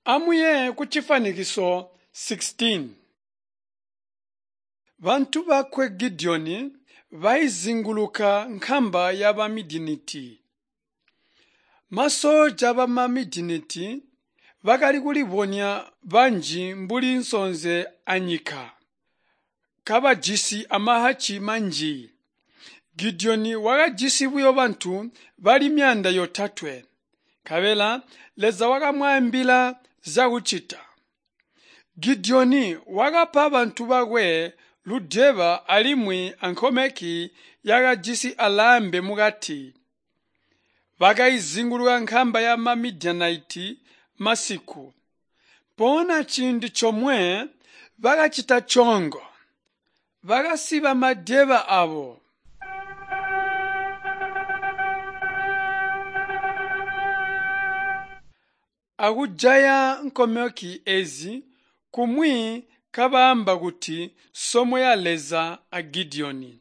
Amuye kucifwanikiso 16. Bantu bakwe Gideoni baizinguluka nkamba yaba Midianiti. Masoja bama Midianiti bakali kulibonya banji mbuli nsonze anyika, kabajisi amahacci manji. Gideoni wakajisi buyo bantu bali 300. Nkabela Leza wakamwaambila zyakucita. Gideoni wakapa bantu bakwe ludeba alimwi ankomeki yakajisi alambe mukati. Bakaizinguluka nkamba ya Midianite masiku. Mpoonya ciindi comwe bakacita coongo. Bakasiba madeba abo. Akujaya nkomeki ezi kumwi kabaamba kuti somo ya Leza a Gideoni.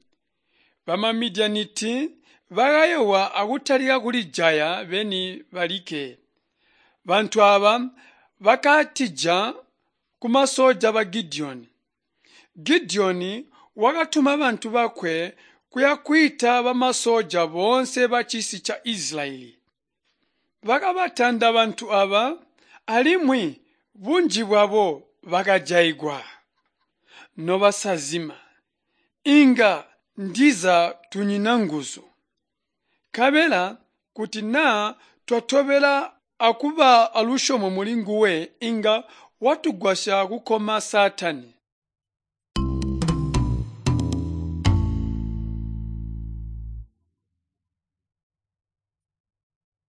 Bamamidianiti bakayoowa akutalika kulijaya beni balikke. Bantu aaba bakatija kumasoja ba Gideoni. Gideoni wakatuma bantu bakwe kuyakwiita bamasoja boonse bacisi ca Israyeli. Bakabatanda bantu aaba alimwi bunji bwabo bakajaigwa. Nobasazima, inga ndiza tunyina nguzu. Nkabela kuti naa twatobela akuba alusyomo mulinguwe inga watugwasya kukoma Saatani.